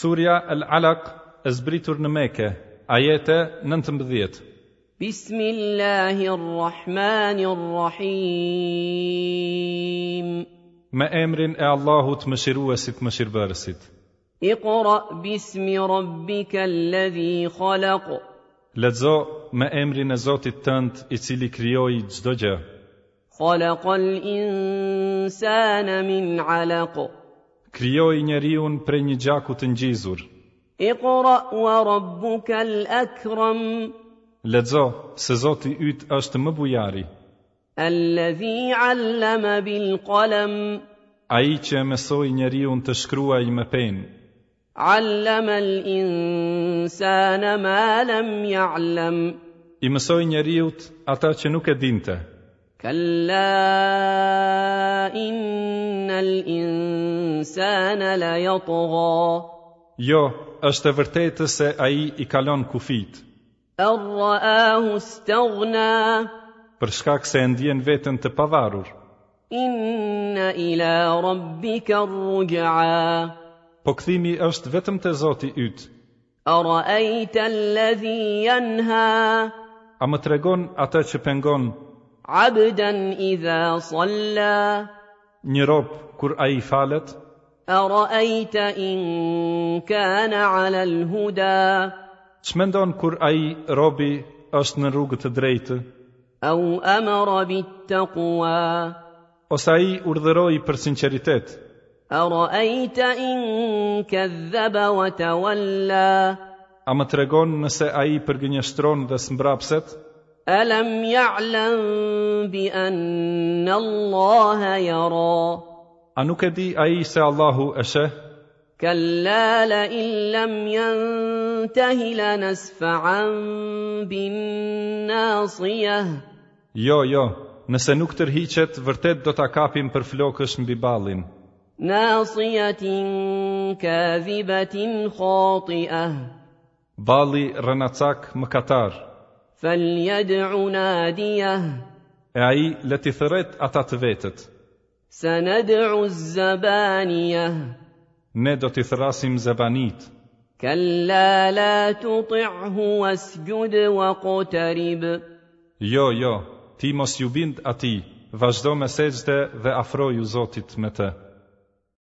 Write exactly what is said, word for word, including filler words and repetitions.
Surja Al-Alaq e zbritur në Mekë, ajete nëntëmbëdhjetë. بسم الله الرحمن الرحيم Me emrin e Allahut Mëshiruesit Mëshirbërësit. اقرأ باسم ربك الذي خلق Lexo me emrin e Zotit tënd, i cili krijoi çdo gjë. خلق الإنسان من علق Krijoi njeriun prej një gjaku të ngjizur. اقرأ وربك الأكرم Lexo se Zoti yt është më bujari, الذي علم بالقلم ai që e mësoi njeriun të shkruajë me penë. علم الإنسان ما لم يعلم I mësoi njeriut ata që nuk e dinte. كلا إن الإنسان ليطغى Jo, është e vërtetë se ai i kalon kufit, أن رآه استغنى për shkak se e ndjen veten të pavarur. إن إلى ربك الرجعى Po kthimi është vetëm te Zoti yt. أرأيت الذي ينهى A më tregon atë që pengon عبدا إذا صلى një rob kur ai falet? أرأيت إن كان على الهدى Ç'mendon kur ai robi është në rrugë të drejtë? أو أمر بالتقوى Ose ai urdhëroi për sinqeritet? أرأيت إن كذب وتولى A më tregon nëse ai përgënjeshtron dhe smbrapset? ألم يعلم بأن الله يرى A nuk e di ai se Allahu e sheh? كلا لئن لم ينته لنسفعا بالناصية Jo, jo, nëse nuk tërhiqet, vërtet do ta kapim për flokësh mbi ballin. ناصية كاذبة خاطئة Balli rrenacak mëkatar, فليدع ناديه e ai le t'i thërret ata të vetët. سندع الزبانية Ne do t'i thërrasim zebanit. كلا لا تطعه واسجد واقترب Jo, jo, ti mos ju bind atij, vazhdo me sexhde dhe afroju Zotit me të.